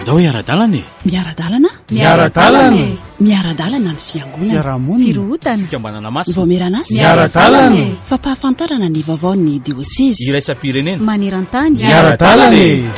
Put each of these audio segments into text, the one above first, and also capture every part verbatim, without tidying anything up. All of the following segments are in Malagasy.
Andao hiara-dalana e! Miara-dalana? Miara-dalana e! Miara-dalana ny fiangonana. Fiarahamonina. Firohotana. Fikambanana masina. Vaomieran'asa. Miara-dalana e! Fampahafantarana ny vaovaon'ny diosezy. Iraisam-pirenena. Maneran-tany. Miara-dalana e!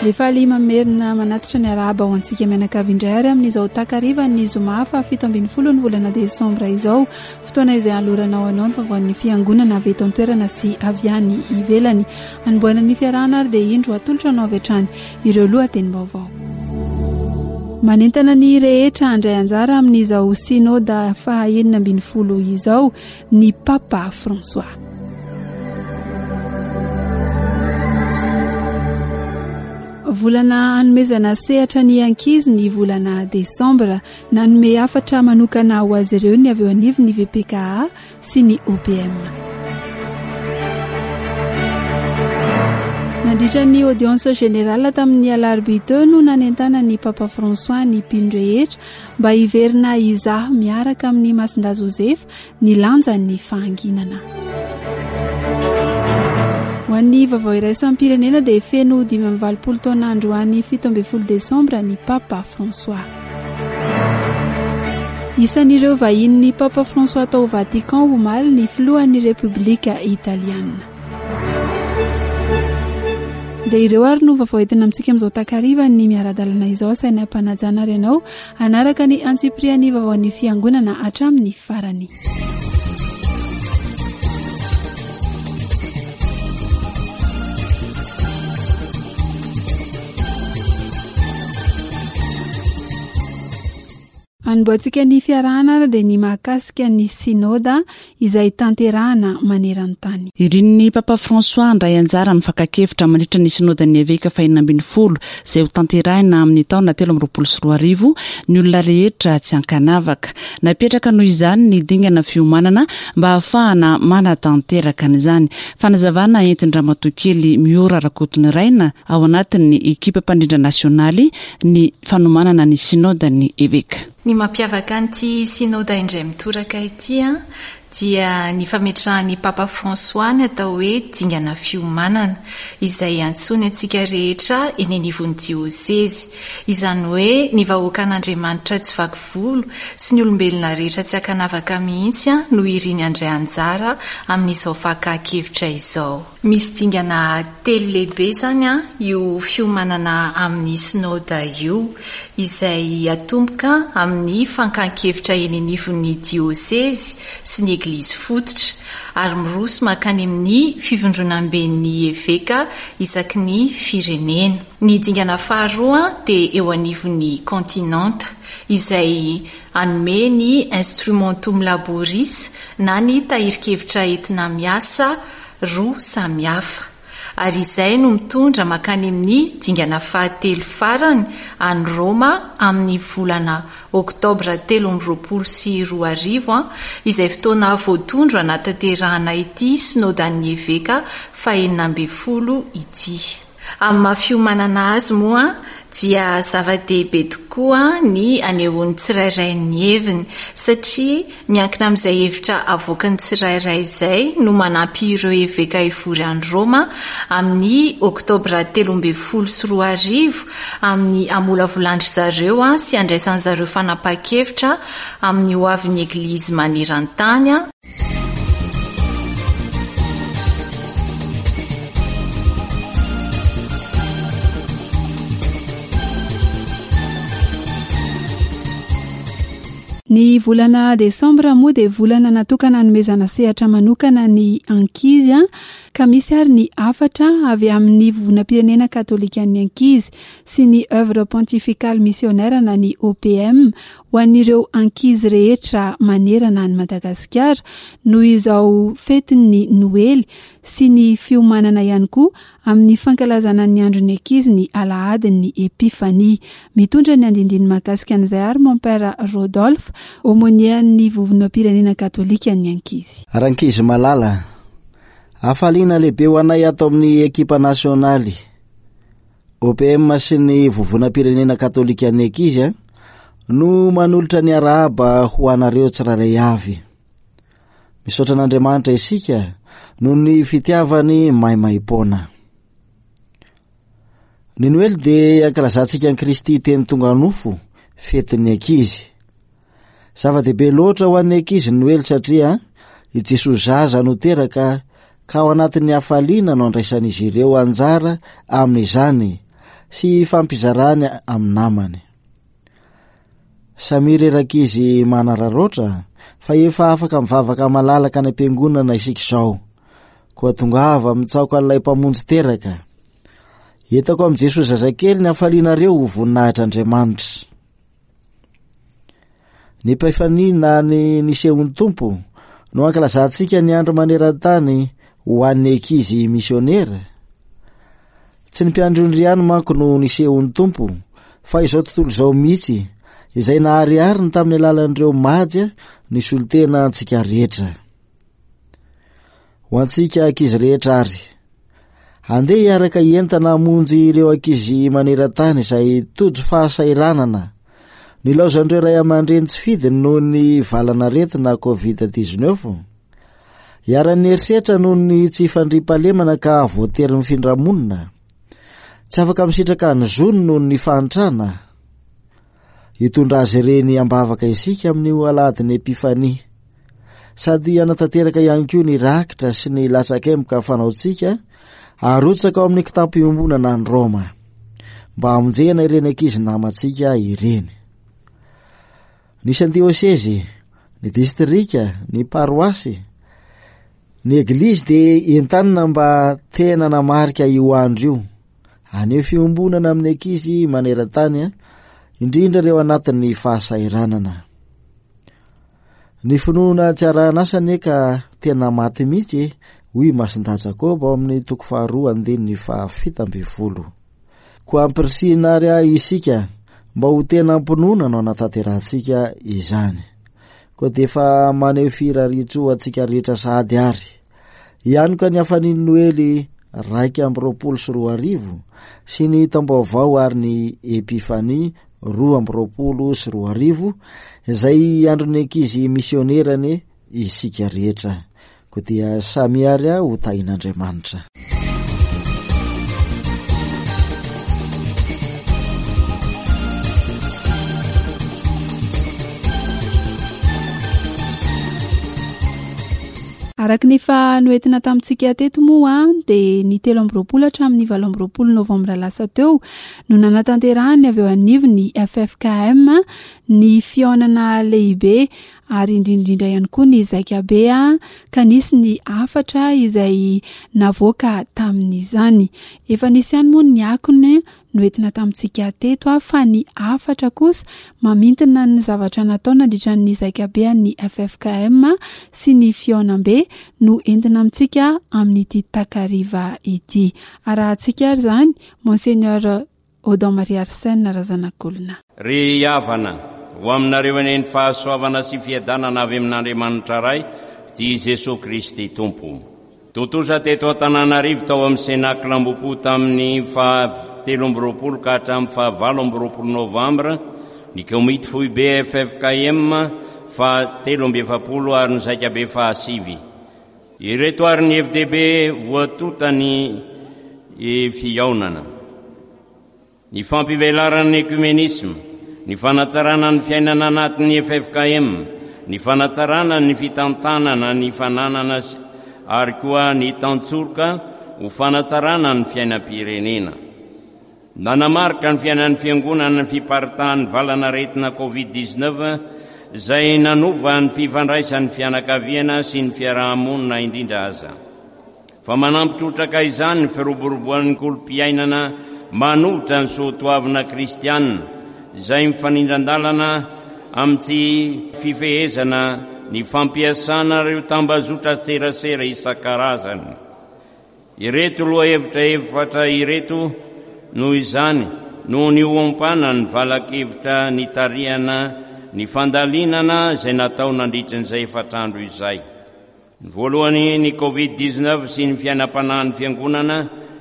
Dia faly mamerina manatitra ny arahaba ho antsika mianakavy indray ary amin'izao takarivan'ny zoma fahafito ambin'ny folo ny volana desambra izao, fotoana izay aloranao anao ny vaovaon'ny fiangonana avy eto an-toerana sy avy any ivelany. Anombohana ny fiarahana ary dia indro atolotra anao avy hatrany ireo lohatenim-baovao. Manentana ny rehetra handray anjara amin'izao synoda faha enina ambin'ny folo izao ny Papa François. Volana hanomezana sehatra ny ankizy ny volana desambra. Nanome hafatra manokana ho azy ireo ny avy eo anivon'ny V P K A sy ny O P M. Nandritra ny audience générale tamin'ny alarobia teo no nanentana ny Papa François ny mpino rehetra mba hiverina hizaha miaraka amin'ny Masindahy Joseph ny lanjan'ny fahanginana. Ho an'ny vaovao iraisam-pirenena dia feno dimy amby valopolo taona androany fito ambin'ny folo desambra ny Papa François. Isan'ireo vahinin'ny Papa François tao Vatican omaly ny filohan'ny Repoblika Italiana. Dia ireo ary no vaovao entina amintsika amin'izao takariva ny miara-dalana izao. Asaina am-panajana ary ianao hanaraka ny antsipirian'ny vaovaon'ny fiangonana hatramin'ny farany. Anombohantsika ny fiarahana ary dia ny mahakasika ny synoda izay tanterahana maneran-tany. Irin'ny Papa François handray anjara amin'ny fakan-kevitra mandritra ny synodan'ny eveka fahenina ambin'ny folo izay ho tanterahina amin'ny taona telo amby roapolo sy roa arivo ny olona rehetra tsy ankanavaka. Napetraka noho izany ny dingana fiomanana mba hahafahana manatanteraka an'izany. Fanazavana entin-dRamatoa kely Miora Rakotoniraina ao anatin'ny ekipa mpandrindra nasionaly ny fanomanana ny synodan'ny eveka. Ny mampiavaka an'ity synoda indray mitoraka ity a, dia ny fametrahan'ny Papa François ny atao hoe dingana fiomanana izay antsoiny antsika rehetra eny anivon'ny diosezy. Izany hoe ny vahoakan'Andriamanitra tsy vaky volo sy ny olombelona rehetra tsy ankanavaka mihitsy a, no iriny handray anjara amin'izao fakan-kevitra izao. Misy dingana telo lehibe izany a, io fiomanana amin'ny synoda io, izay atomboka amin'ny fankan-kevitra eny anivon'ny diosezy sy ny eglizy fototra, ary miroso mankany amin'ny fivondronamben'ny eveka isaky ny firenena. Ny dingana faharoa dia eo anivon'ny kontinanta, izay hanome ny instrumentum laboris na ny tahirin-kevitra entina miasa roa samihafa. Ary izay no mitondra mankany amin'ny dingana fahatelo farany any Roma amin'ny volana oktobra telo amby roapolo sy roa arivo, a, izay fotoana voatondro hanatanterahana ity synodan'ny eveka fahenina ambin'ny folo ity. Amin'ny maha fiomanana azy moa dia zava-dehibe tokoa ny anehoan'ny tsirairay ny heviny, satria miankina amin'izay hevitra avoakan'ny tsirairay izay no manampy ireo eveka hivory any Roma amin'ny oktobra telo ambin'ny folo sy roa arivo amin'ny hamolavolan-dry zareo a, sy handraisan'ny zareo fanapahan-kevitra amin'ny ho avin'ny eglizy maneran-tany. Ny volana desambra moa dia volana natokana hanomezana sehatra manokana ny ankizy, a, ka misy ary ny hafatra avy amin'ny vovonam-pirenena katôlikan'ny ankizy sy ny œuvre pontificale missionnaire na ny O P M ho an'ireo ankizy rehetra manerana an'i Madagasikara noho izao fetin'ny Noely sy ny fiomanana ihany koa amin'ny fankalazana ny andron'ny ankizy ny alahadin'ny Epifania. Mitondra ny andindiny mahakasika an'izay ary mon père Rodolphe, aumônier-n'ny vovonam-pirenena katôlikan'ny ankizy. Rankizy malala, hafaliana lehibe ho anay ato amin'ny ekipa nasionaly O P M sy ny vovonam-pirenena katôlikan'ny ankizy, a, no manolotra ny arahaba ho anareo tsirairay avy. Misaotra an'Andriamanitra isika noho ny fitiavany maimaimpoana. Ny Noely dia ankalazantsika an'i Kristy teny tonga nofo, fetin'ny ankizy. Zava-dehibe loatra ho an'ny ankizy ny Noely satria i Jesoa zaza no teraka ka ao anatin'ny hafaliana no andraisan'izy ireo anjara amin'izany sy fampizarany amin'ny namany. Samy reraka izy manararaotra fa efa afaka mivavaka malalaka any am-piangonana isika izao. Koa tongava mitsaoka an'ilay mpamonjy teraka. Entako amin'i Jesoa zazakely ny hafalianareo ho voninahitr'Andriamanitra. Ny Epifania na ny nisehon'ny Tompo no ankalazantsika ny andro maneran-tany ho an'ny ankizy misionera. Tsy ny mpiandry ondry ihany manko no nisehon'ny Tompo, fa izao tontolo izao mihitsy, izay naharihariny tamin'ny alalan'ireo majy ny solontena antsika rehetra. Ho antsika ankizy rehetra ary, andeha hiaraka hientana hamonjy ireo ankizy maneran-tany izay tojo fahasahiranana. Nilaozan'ireo ray aman-dreny tsy fidiny noho ny valanaretina covid dix-neuf. Iharan'ny herisetra noho ny tsy fandriampahalemana ka voatery mifindra monina. Tsy afaka misitraka ny zony noho ny fahantrana. Hitondra azy ireny am-bavaka isika amin'io alahadin'ny Epifania. Sady hanatanteraka ihany koa ny rakitra sy ny latsakemboka fanaontsika arotsaka ao amin'ny kitapo iombonana any Roma mba hamonjena ireny ankizy namantsika ireny. Ny isan-diosezy, ny distrika, ny paroasy, ny eglizy dia entanina mba tena namarika io andro io. Haneho fiombonana amin'ny ankizy maneran-tany, indrindra ireo anatin'ny fahasahiranana. Ny finoana tsy arahan'asa anie ka tena maty mihitsy, hoy Masindahy Jakoba ao amin'ny toko faharoa andininy fahafito ambin'ny folo. Koa ampirisihina ary ahy isika mba ho tena am-pinoana no anatanterahantsika izany. Koa dia efa maneho firariantsoa antsika rehetra sahady ary. Ihany koa ny hafanin'ny Noely raika amby roapolo sy roa arivo sy ny taom-baovao ary ny Epifania roa amby roapolo sy roa arivo izay andron'ny ankizy misionerany isika rehetra. Koa dia samy ary aho ho tahin'Andriamanitra. Araka ny efa noentina tamintsika teto moa dia ny telo amby roapolo hatramin'ny valo amby roapolo novambra lasa teo no nanatanterahany avy eo anivon'ny F F K M ny fihaonana lehibe ary indrindrindra ihany koa ny zaikabe ka nisy ny hafatra izay navoaka tamin'izany. Efa nisy ihany moa ny akony noentina tamintsika teto fa ny hafatra kosa mamintina ny zavatra natao nandritra ny zaikabe an'ny F F K M sy ny fihaonambe no entina amintsika amin'ity takariva ity. Arahantsika ary izany Monseigneur Odon Marie Arsène Razanakolona. Ry havana, ho aminareo anie ny fahasoavana sy fiadanana avy amin'Andriamanitra Ray sy Jesoa Kristy Tompo. Tontosa teto Antananarivo tao amin'ny Cénacle Ambohipo tamin'ny faha telo amby roapolo ka hatramin'ny faha valo amby roapolo novambra ny komity foibe F F K M faha telo amby efapolo ary ny zaikabe faha sivy. Ireto ary ny F D B voatonta ny fihaonana. Ny fampivelaran'ny ekumenisma, ny fanatsarana ny fiainana anatin'ny F F K M, ny fanatsarana ny fitantanana ny fananana sy ary koa ny tantsoroka ho fanatsarana ny fiainam-pirenena. Nanamarika ny fiainan'ny fiangonana ny fiparitahan'ny valanaretina covid dix-neuf izay nanova ny fifandraisan'ny fianakaviana sy ny fiarahamonina indrindra aza. Fa manampy trotraka izany ny firoboroboan'ny kolom-piainana manohitra ny soatoavina kristianina izay mifanindran-dalana amin'ny tsy fifehezana ny fampiasana ireo tambazotra serasera isan-karazany. Ireto lohahevitra efatra ireto noho izany no niompana ny valakevitra nitarihana ny fandalinana izay natao nandritra izay efatra andro izay. Ny voalohany ny covid dix-neuf sy ny fiainam-panahin'ny fiangonana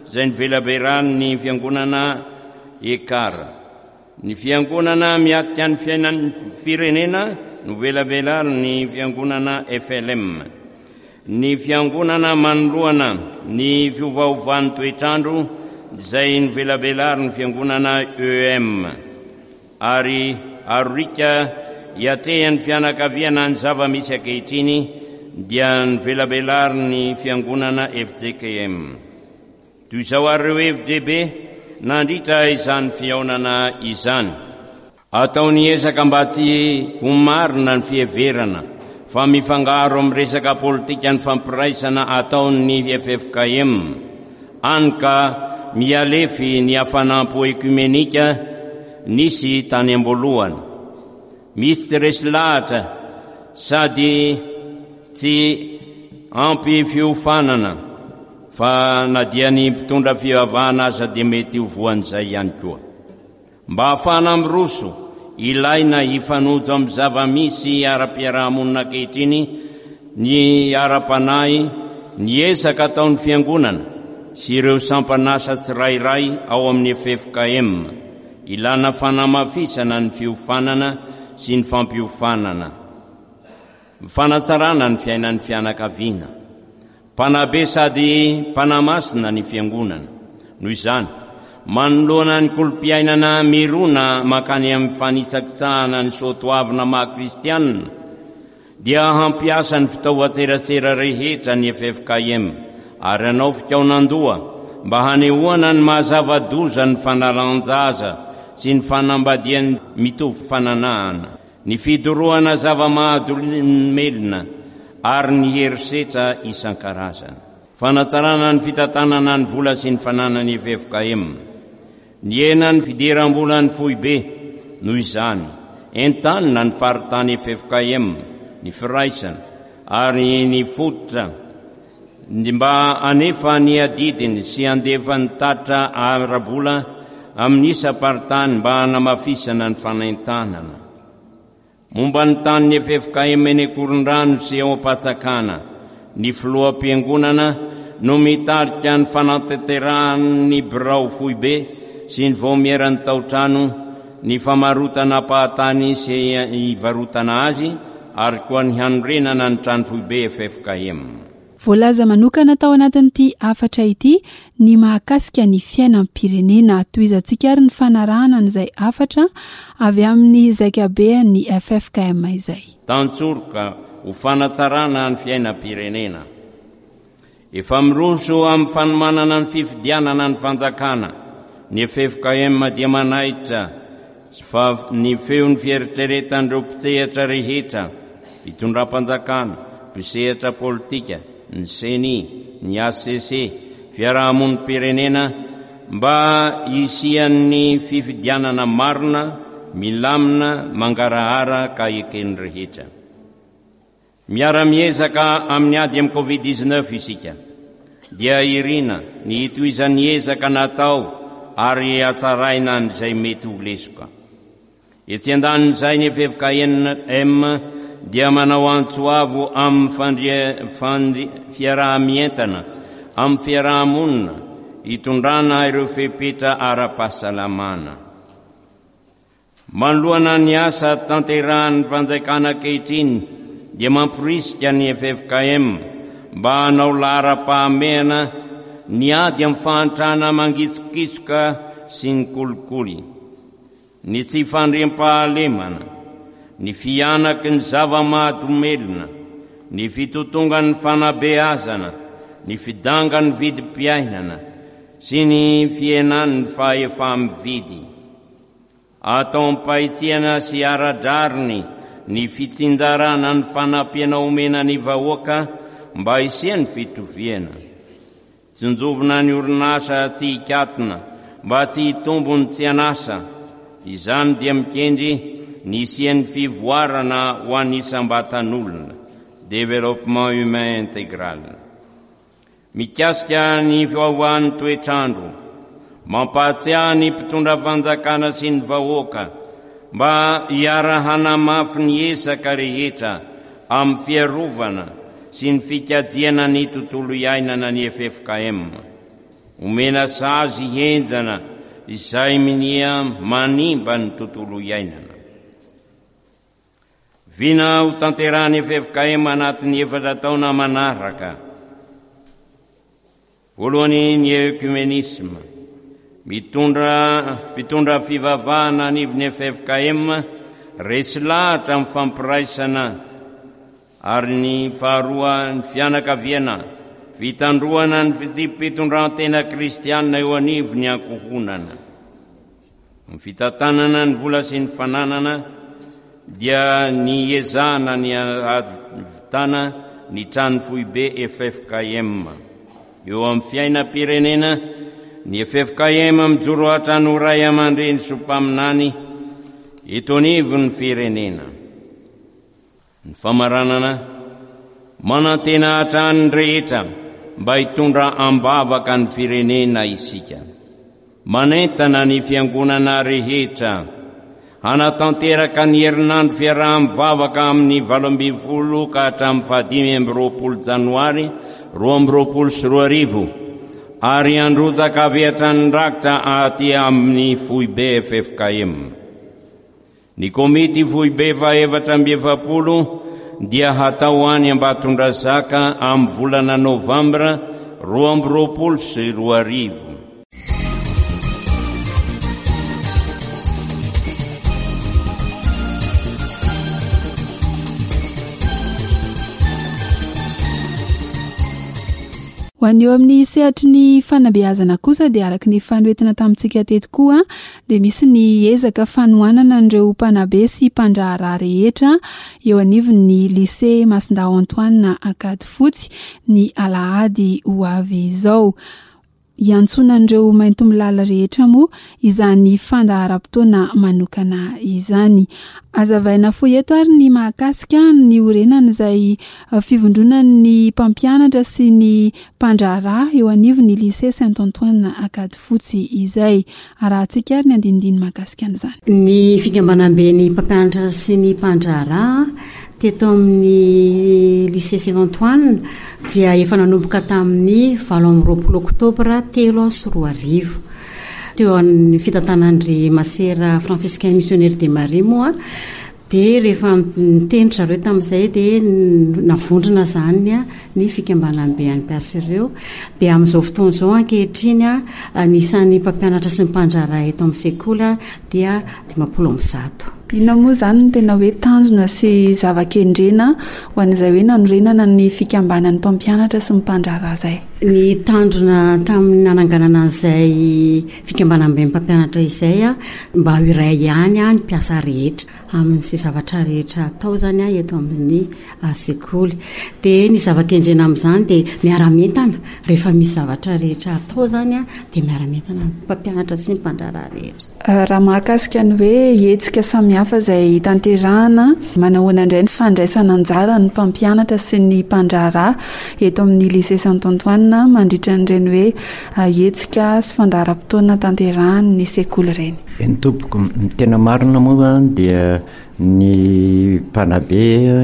izay nivelaberan'ny fiangonana Ekar. Ny fiangonana miatrika ny fiainan'ny firenena novelabelariny fiangonana F L M. Ny fiangonana manoloana ny fiovaovan'ny toetrandro izay novelabelarin'ny fiangonana E M ary arorika hiatrehan'ny fianakaviana ny zava-misy ankehitriny dia novelabelarin'ny fiangonana F J K M. Toy izao ary ireo hevi-dehibe nandritra izany fihaonana izany. Atao ny ezaka mba tsy ho marina ny fiheverana fa mifangaro amin'ny resaka politika ny fampiraisana ataon'ny F F K M, hany ka mialefy ny hafanam-po ekumenika nisy tany am-boalohany. Misy tsy resy lahatra sady tsy ampy fiofanana fa na dia ny mpitondra fivavahana aza dia mety ho voan'izay ihany koa. Mba hahafahana miroso, ilaina hifanojo amin'ny zava-misy ara-piarahamonina ankehitriny ny ara-panahy, ny ezaka ataon'ny fiangonana sy ireo sampan'asa tsirairay ao amin'ny F F K M. Ilana fanamafisana ny fiofanana sy ny fampiofanana, fanatsarana ny fiainan'ny fianakaviana, mpanabe sady mpanamasina ny fiangonana. Noho izany, manoloana ny kolom-piainana mirona mankany amin'ny fanisakitsahana ny soatoavina maha kristianina, dia hampiasa ny fitaovan-tserasera rehetra ny F F K M ary hanao fikaonan-doha mba hanehoana ny mahazava-doza ny fanalan-jaza sy ny fanambadiany mitovy fananahana, ny fidorohana zava-mahadomelina ary ny herisetra isan-karazany. Fanatsarana ny fitantanana ny vola sy ny fananany F F K M. Nihena ny fidiram-bola ny foibe noho izany, entanina ny faritany F F K M, ny firaisana ary ny fototra mba hanefa ny adidiny sy handefa ny tatra ara-bola amin'ny isam-paritany mba hanamafisana ny fanentanana. Momba ny tanin'ny F F K M eny Ankorondrano sy ao Ampatsakana, ny filoham-piangonana no mitarika ny fanatanterahan'ny birao foibe sy ny vaomieran'ny taotrano, ny famarotana ampahatany sy ivarotana azy ary koa ny hanorenana ny trano foibe F F K M. Voalaza manokana tao anatin'ity hafatra ity ny mahakasika ny fiainam-pirenena. Tohizantsika ary ny fanarahana an'izay hafatra avy amin'ny zaikabean'ny F F K M izay. Tantsoroka ho fanatsarana ny fiainam-pirenena. Efa miroso amin'ny fanomanana ny fifidianana ny fanjakana. Ny F F K M dia manaitra fa ny feon'ny fieritreretan'ireo mpisehatra rehetra, fitondram-panjakana, mpisehatra politika, ny C N I, ny A C C, fiarahamonim-pirenena mba hisian'ny fifidianana marina, milamina, mangarahara ka eken'ny rehetra. Miara-miezaka amin'ny ady amin'ny Covid dix-neuf isika, dia irina ny hitohizan'ny ezaka natao ary hatsaraina an'izay mety ho lesoka. Etsy andanin'izay ny F F K M dia manao antso avo amin'ny fandria-, fandri-, fiaraha-mientana amin'ny fiarahamonina hitondrana ireo fepetra ara-pahasalamana. Manoloana ny asa tanterahan'ny fanjakana ankehitriny dia mamporisika ny F F K M mba hanao laharam-pahamehana ny ady amin'ny fahantrana mangitsokitsoka sy ny kolikoly, ny tsy fandriampahalemana, ny fihanaky ny zava-mahadomelina, ny fitotongan'ny fanabeazana, ny fidangan'ny vidim-piainana sy ny fihenan'ny fahefa-mividy. Atao am-pahitsiana sy ara-drariny ny fitsinjarana ny fanampiana omena ny vahoaka mba hisian'ny fitoviana. Tsinjovina ny orinasa tsy hikatona mba tsy hitombo ny tsy an'asa. Izany dia mikendry ny hisian'ny fivoarana ho an'ny isam-batan'olona, développement humain intégral. Mikasika ny fiovaovan'ny toetrandro, mampahatsiahy ny mpitondra fanjakana sy ny vahoaka mba hiara-hanamafy ny ezaka rehetra amin'ny fiarovana sy ny fikajiana ny tontolo iainana ny F F K M. Omena sazy henjana izay minia manimba ny tontolo iainana. Vina ho tanterahan'ny F F K M anatin'ny efatra taona manaraka. Voalohany ny œcuménisme, Mitondra mpitondra fivavahana anivon'ny F F K M resy lahatra amin'ny fampiraisana ary ny faharoa ny fianakaviana, fitandroana ny fitsipi-pitondrantena kristianina eo anivon'ny ankohonana. Ny fitantanana ny vola sy ny fananana dia ny ezahana ny ahavitana ny trano foibe F F K M. Eo amin'ny fiainam-pirenena, ny F F K M mijoro hatrany ho ray aman-dreny sy mpaminany eto anivon'ny firenena. Ny famaranana, manantena hatrany ny rehetra mba hitondra ambavaka ny firenena isika. Manentana ny fiangonana rehetra hanatanteraka ny herinandro fiaraha-mivavaka amin'ny valo ambin'ny folo ka hatramin'ny fahadimy amby roapolo janoary roa amby roapolo sy roa arivo ary handrotsaka avy hatrany rakitra aty amin'ny foibe F F K M. Ny komity foibe fahaefatra amby efapolo dia hatao any Ambatondrazaka amin'ny volana novambra roa amby roapolo sy roa arivo. Ho an'ny eo amin'ny sehatry ny fanabeazana kosa dia araka ny fanoentina tamintsika teto koa dia misy ny ezaka fanohanana an'ireo mpanabe sy mpandraharaha rehetra eo anivon'ny lycée Masindahy Antoine Ankadifotsy ny alahady ho avy izao. Iantsoana an'ireo maintimolala rehetra moa izany fandaharam-potoana manokana izany. Azavaina fohy eto ary ny mahakasika ny orenan'izay fivondronan'ny mpampianatra sy ny mpandraharaha eo anivon'ny lycée Saint Antoine Ankadifotsy izay. Arahantsika ary ny andinindiny mahakasika an'izany. Ny fikambanamben'ny mpampianatra sy ny mpandraharaha teto amin'ny lycée Saint Antoine dia efa nanomboka tamin'ny valo amby roapolo oktobra telo sy roa arivo. Teo amin'ny fitantanandry Masera Franciscain Missionnaire de Marie moa dia rehefa niteny zareo tamin'izay dia navondrona izany ny fikambanambe an'ny mpiasa ireo. Dia amin'izao fotoana izao ankehitriny anisan'ny mpampianatra sy ny mpandraharaha eto amin'ny sekoly dia dimampolo amby zato. Inona moa izany no tena hoe tanjona sy zava-kendrena ho an'izay hoe nanorenana ny fikambanan'ny mpampianatra sy ny mpandraharaha izay? Ny tanjona tamin'ny nananganana an'izay fikambanamben'ny mpampianatra izay mba ho iray ihany ny mpiasa rehetra amin'izay zavatra rehetra atao izany eto amin'ny sekoly. Dia ny zava-kendrena amin'izany dia miara-mientana. Rehefa misy zavatra rehetra atao izany dia miara-mientana ny mpampianatra sy ny mpandraharaha rehetra. Raha mahakasika ny hoe hetsika samihafa izay tanterahana, manahoana indray ny fandraisana anjara ny mpampianatra sy ny mpandraharaha eto amin'ny lycée Saint Antoine mandritra an'ireny hoe hetsika sy fandaharam-potoana tanterahan'ny sekoly ireny? Eny tompoko, ny tena marina moa dia ny mpanabe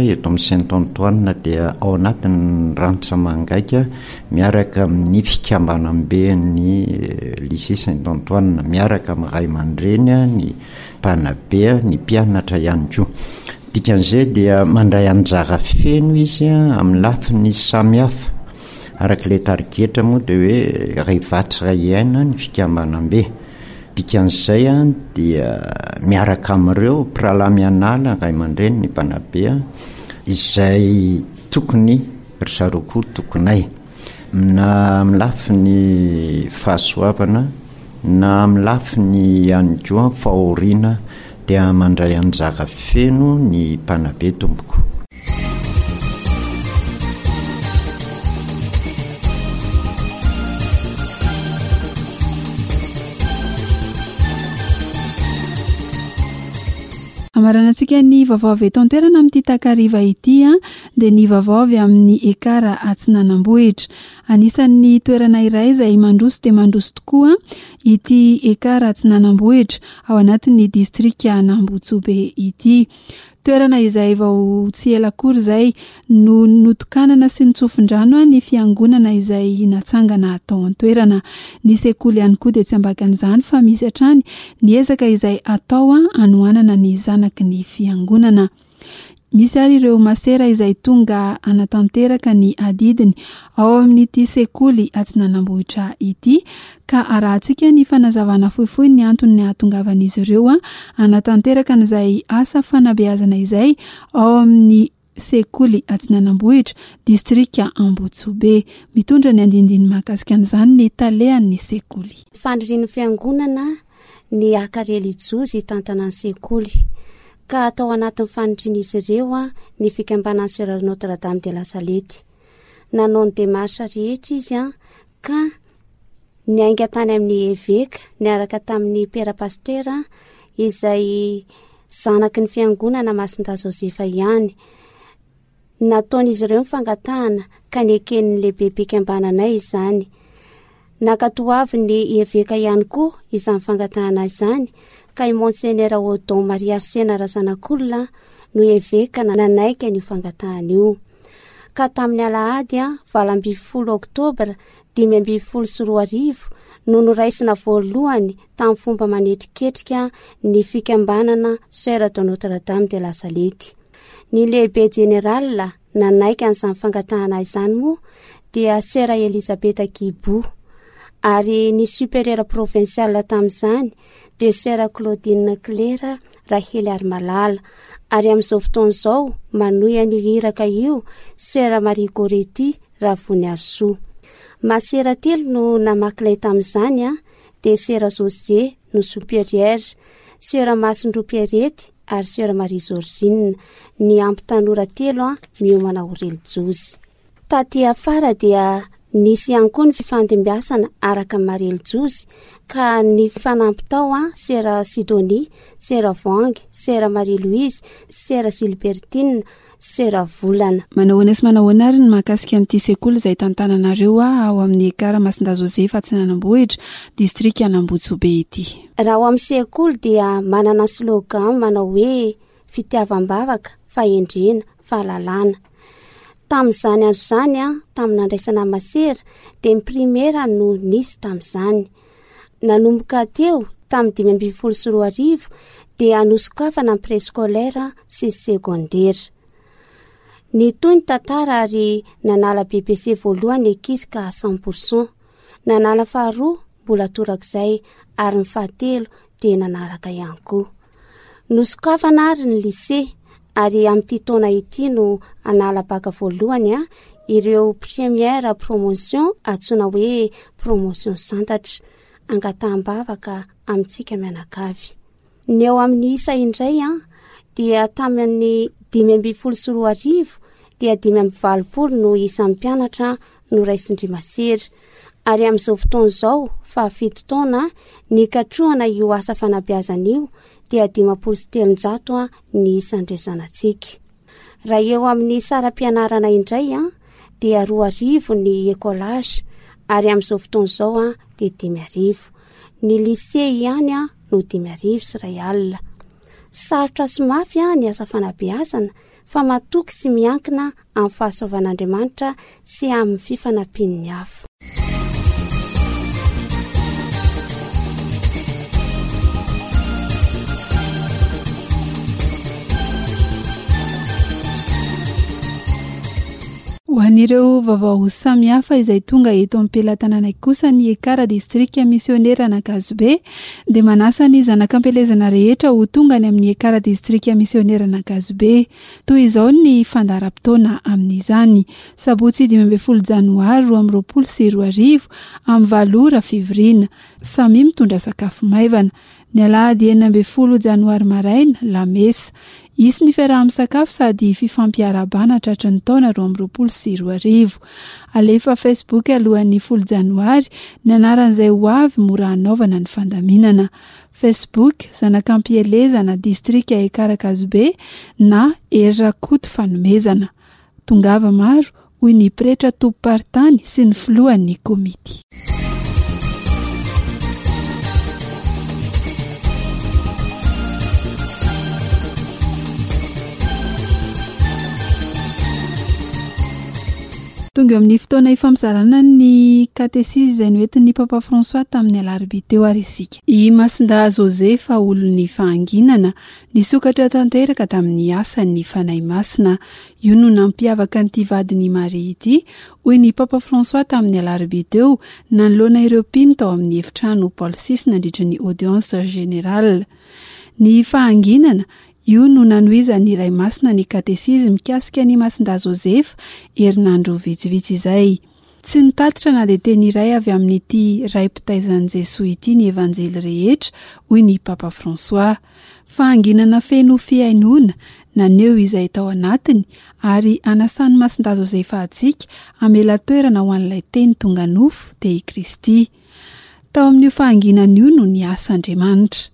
eto amin'ny Saint Antoine dia ao anatin'ny rantsa-mangaika miaraka amin'ny fikambanamben'ny lycée Saint Antoine, miaraka amin'ny ray aman-dreny, ny mpanabe, ny mpianatra ihany koa. Dikan'izay dia mandray anjara feno izy amin'ny lafiny samihafa. Araka ilay tarigetra moa dia hoe iray vatsy iray aina ny fikambanambe. Dikan'izay dia miaraka amin'ireo mpirahalahy mianala, ray aman-dreny, ny mpanabe izay tokony ry zareo koa tokonay. Na amin'ny lafiny fahasoavana na amin'ny lafiny ihany koa fahoriana dia mandray anjara feno ny mpanabe tompoko. Amaranantsika ny vaovao avy eto an-toerana amin'ity takariva ity a, dia ny vaovao avy amin'ny Ekara Atsinanambohitra. Anisan'ny toerana iray izay mandroso dia mandroso tokoa ity Ekara Atsinanambohitra ao anatin'ny distrika Anambotsobe ity. Toerana izay vao tsy ela akory izay no notokanana sy nitsofin-drano ny fiangonana izay natsangana tao an-toerana. Ny sekoly ihany koa dia tsy ambakan'izany fa misy hatrany ny ezaka izay atao hanohanana ny zanaky ny fiangonana. Misy ary ireo masera izay tonga hanatanteraka ny adidiny ao amin'ity sekoly Atsinanambohitra ity, ka arahantsika ny fanazavana fohifohy ny antony ny hahatongavan'izy ireo hanatanteraka an'izay asa fanabeazana izay ao amin'ny sekoly Atsinanambohitra, distrika Ambotsobe. Mitondra ny andindiny mahakasika an'izany ny talehan'ny sekoly. Fanirian'ny fiangonana ny haka relijiozy hitantana ny sekoly, ka atao anatin'ny fanirian'izy ireo ny fikambanan'ny Sœur Notre Dame de la Salette. Nanao ny démarche rehetra izy ka niainga tany amin'ny eveka niaraka tamin'ny père pasteur izay zanaky ny fiangonana Masindahy Josefa ihany. Nataon'izy ireo ny fangatahana ka neken'ny lehibe-pikambananay izany. Nankatoavin'ny eveka ihany koa izany fangatahana izany, ka i Monseigneur Odon Marie Arsène Razanakolona no eveka nanaiky an'io fangatahana io. Ka tamin'ny alahady valo ambin'ny folo oktobra dimy ambin'ny folo sy roa arivo no noraisina voalohany tamin'ny fomba manetriketrika ny fikambanana Sœur de Notre Dame de la Salette. Ny lehibe jeneral nanaiky an'izany fangatahana izany moa dia Sœur Elisabeth Guibou, ary ny supérieur provincial tamin'izany dia Sœur Claudine Claire Rahely Arimalala, ary amin'izao fotoana izao manohy an'io iraka io Sœur Marie Goretti Ravoniarisoa. Masera telo no namaky lay tamin'izany, a dia Sœur José no supérieur, Sœur Masindroa Pierrette ary Sœur Marie Georgine, ny ampy tanora telo a miomana ho relijiozy. Taty afara dia nisy ihany koa ny fifandimbiasana araka ny maha relijiozy, ka ny fanampy tao a Sœur Sidonie, Sœur Voangy, Sœur Marie Louise, Sœur Gilbertine, Sœur Volana. Manahoana sy manahoana ary ny mahakasika an'ity sekoly izay tantananareo a ao amin'ny Ekara Masindahy Josefa Atsinanambohitra, distrika Anambotsobe ity? Raha ao amin'ny sekoly dia manana slogan manao hoe fitiavam-bavaka, fahendrena, fahalalana. Tamin'izany andro izany, a, tamin'ny nandraisana masera, dia ny primera no nisy tamin'izany. Nanomboka teo, tamin'ny dimy ambin'ny folo sy roa arivo, dia nosokafana ny préscolaire sy ny secondaire. Nitohy ny tantara ary nanala B P C voalohany ny ankizy ka cent pour cent. Nanala faharoa mbola torak'izay ary ny fahatelo dia nanaraka ihany koa. Nosokafana ary ny lycée, ary amin'ity taona ity no hanala baka voalohany a ireo première promotion antsoina hoe promotion santatra, angataham-bavaka amintsika mianakavy. Ny eo amin'ny isa indray a dia tamin'ny dimy ambin'ny folo sy roa arivo dia dimy amby valopolo no isan'ny mpianatra noraisin-dry masera. Ary amin'izao fotoana izao, fahafito taona nikatrohana io asa fanabeazana io dia dimampolo sy telonjato a ny isan'ireo zanatsika. Raha eo amin'ny saram-pianarana indray a dia roa arivo ny écolage, ary amin'izao fotoana izao a dia dimy arivo. Ny lycée ihany a no dimy arivo sy iray alina. Sarotra sy mafy a ny asa fanabeazana, fa matoky sy miankina amin'ny fahasoavan'Andriamanitra sy amin'ny fifanampian'ny hafa. Ho an'ireo vaovao samihafa izay tonga eto am-pelatanana kosa ny Ekara distrika misionera Ankazobe dia manasa ny zanak'ampielezana rehetra ho tonga any amin'ny Ekara distrika misionera Ankazobe. Toy izao ny fandaharam-potoana amin'izany. Sabotsy dimy ambin'ny folo janoary roa amby roapolo sy roa arivo amin'ny valo ora fivoriana. Samy mitondra sakafo maivana. Ny alahady enina ambin'ny folo janoary maraina, lamesa. Hisy ny fiaraha-misakafo sady fifampiarahabana tratry ny taona roa amby roapolo sy roa arivo. Alefa Facebook alohan'ny folo janoary ny anaran'izay ho avy mora hanaovana ny fandaminana. Facebook zanak'ampielezana distrika Ekara Ankazobe na Hery Rakoto Fanomezana. Tongava maro, hoy ny pretra tompom-paritany sy ny filohan'ny komity. Tonga eo amin'ny fotoana ifampizarana ny katesizy izay noentin'ny Papa François tamin'ny alarobia teo ary isika. I Masindahy Josefa, olon'ny fahanginana, nisokatra tanteraka tamin'ny asan'ny Fanahy Masina. Io no nampiavaka an'ity vadin'i Maria ity, hoy ny Papa François tamin'ny alarobia teo, nanoloana ireo mpino tao amin'ny efitrano Paul six nandritra ny audience générale. Ny fahanginana, io no nanohizan'ny Ray Masina ny katesizy mikasika ny Masindahy Josefa herinandro vitsivitsy izay. Tsy nitatitra na dia teny iray avy amin'ity ray mpitaizan'i Jesoa ity ny Evanjely rehetra, hoy ny Papa François. Fahanginana feno fihainoana, naneho izay tao anatiny ary anasan'ny Masindahy Josefa antsika hamela toerana ho an'ilay teny tonga nofo dia i Kristy. Tao amin'io fahanginana io no niasa Andriamanitra.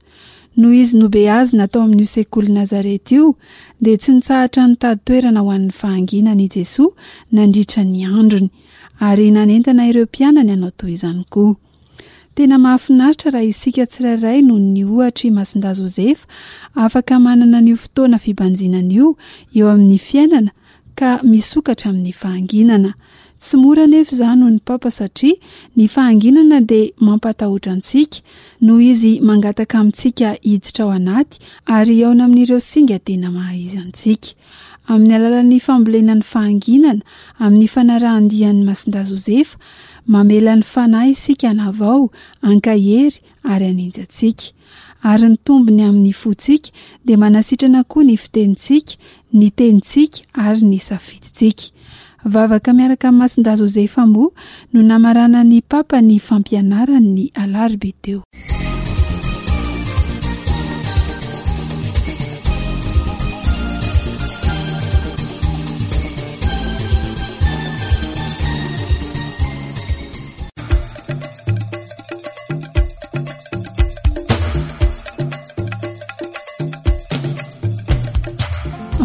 Noho izy nobeazina tao amin'io sekoly Nazareta io, dia tsy nitsahatra nitady toerana ho an'ny fahanginana i Jesoa nandritra ny androny, ary nanentana ireo mpianany hanao toy izany koa. Tena mahafinaritra raha isika tsirairay noho ny ohatry Masindahy Josefa afaka manana an'io fotoana fibanjinana io eo amin'ny fiainana ka misokatra amin'ny fahanginana. Tsy mora anefa izany hoy ny Papa satria ny fahanginana dia mampatahotra antsika noho izy mangataka amintsika hiditra ao anaty ary hihaona amin'ireo singa tena maha-izy antsika. Amin'ny alalan'ny fambolena ny fahanginana, amin'ny fanarahan-dian'ny Masindahy Josefa, mamela ny fanahy isika hanavao, hankahery ary haninjy antsika. Ary ny tombony amin'ny fontsika dia manasitrana koa ny fitenintsika, ny tenintsika ary ny safidintsika. Vavaka miaraka amin'ny Masindahy Josefa moa no namaranan'ny Papa ny fampianarany ny alarobia teo.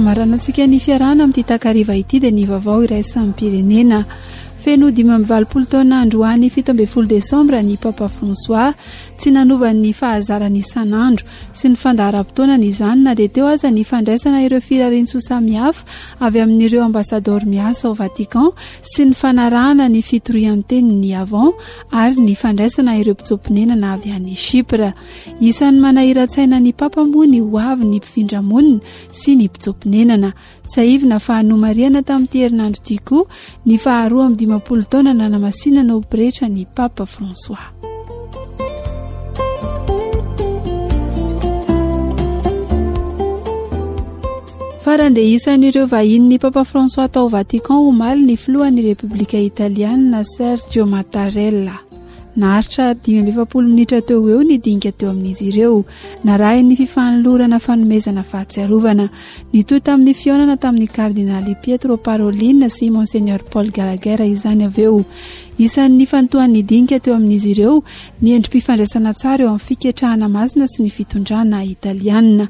Amaranantsika ny fiarahana amin'ity takariva ity dia ny vaovao iraisam-pirenena. Feno dimy amby valopolo taona androany fito ambin'ny folo desambra ny Papa François. Tsy nanova ny fahazarany isan'andro sy ny fandaharam-potoanany izany na dia teo aza ny fandraisana ireo firariantsoa samihafa avy amin'ireo ambasador miasa ao Vatican sy ny fanarahana ny fitorian-tenin'ny Avant ary ny fandraisana ireo mpitsoa-ponenana avy any Chypre. Isan'ny manahiran-tsaina ny Papa moa ny ho avy ny mpifindra-monina sy ny mpitsoa-ponenana. Tsiahivina fa nomarihana tamin'ity herinandro ity koa ny faharoa amby dimampolo taona nanamasinana ho pretra ny Papa François. Farany dia isan'ireo vahinin'ny Papa François tao Vatican omaly ny filohan'ny Repoblika Italiana Sergio Mattarella. Naharitra dimy amby efapolo minitra teo eo ny dinika teo amin'izy ireo, narahin'ny fifanolorana fanomezana fahatsiarovana. Nitohy tamin'ny fihaonana tamin'ny kardinaly Pietro Parolin sy Monseigneur Paul Gallagher izany avy eo. Isan'ny nifantohan'ny dinika teo amin'izy ireo ny endri-pifandraisana tsara eo amin'ny fiketrahana masina sy ny fitondrana italiana.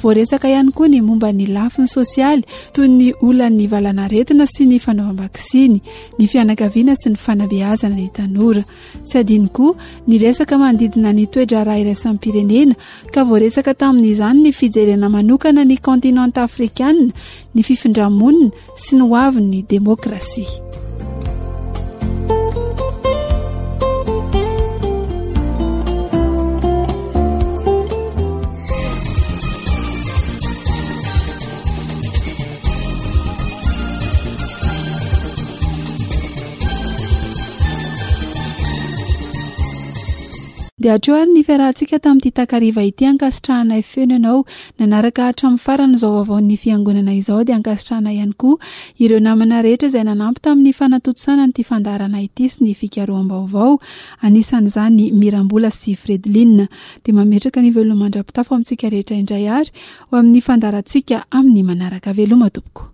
Voaresaka ihany koa ny momba ny lafiny sosialy toy ny olan'ny valanaretina sy ny fanaovam-baksiny, ny fianakaviana sy ny fanabeazana ny tanora. Tsy adino koa ny resaka manodidina ny toe-draharaha iraisam-pirenena ka voaresaka tamin'izany ny fijerena manokana ny kontinanta afrikana, ny fifindramonina sy ny hoavin'ny demokrasia. Dia hatreo ary ny fiarahantsika tamin'ity takariva ity. Ankasitrahanay feno ianao nanaraka hatramin'ny farany izao vaovaon'ny fiangonana izao. Dia ankasitrahana ihany koa ireo namana rehetra izay nanampy tamin'ny fanatontosana an'ity fandaharana ity sy ny fikaroham-baovao, anisan'izany Mirambola sy Fredeline. Dia mametraka ny veloma mandra-pitafo amintsika rehetra indray ary ho amin'ny fandaharantsika amin'ny manaraka. Veloma tompoko.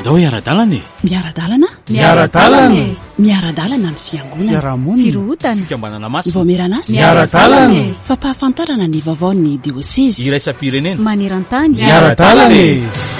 Ndao hiara-dalana e. Miara-dalana? Miara-dalana e. Miara-dalana ny fiangonana. Fiarahamonina. Firohotana. Fikambanana masina. Vaomieran'asa. Miara-dalana e. Fampahafantarana ny vaovaon'ny diosezy. Iraisam-pirenena. Maneran-tany. Miara-dalana e.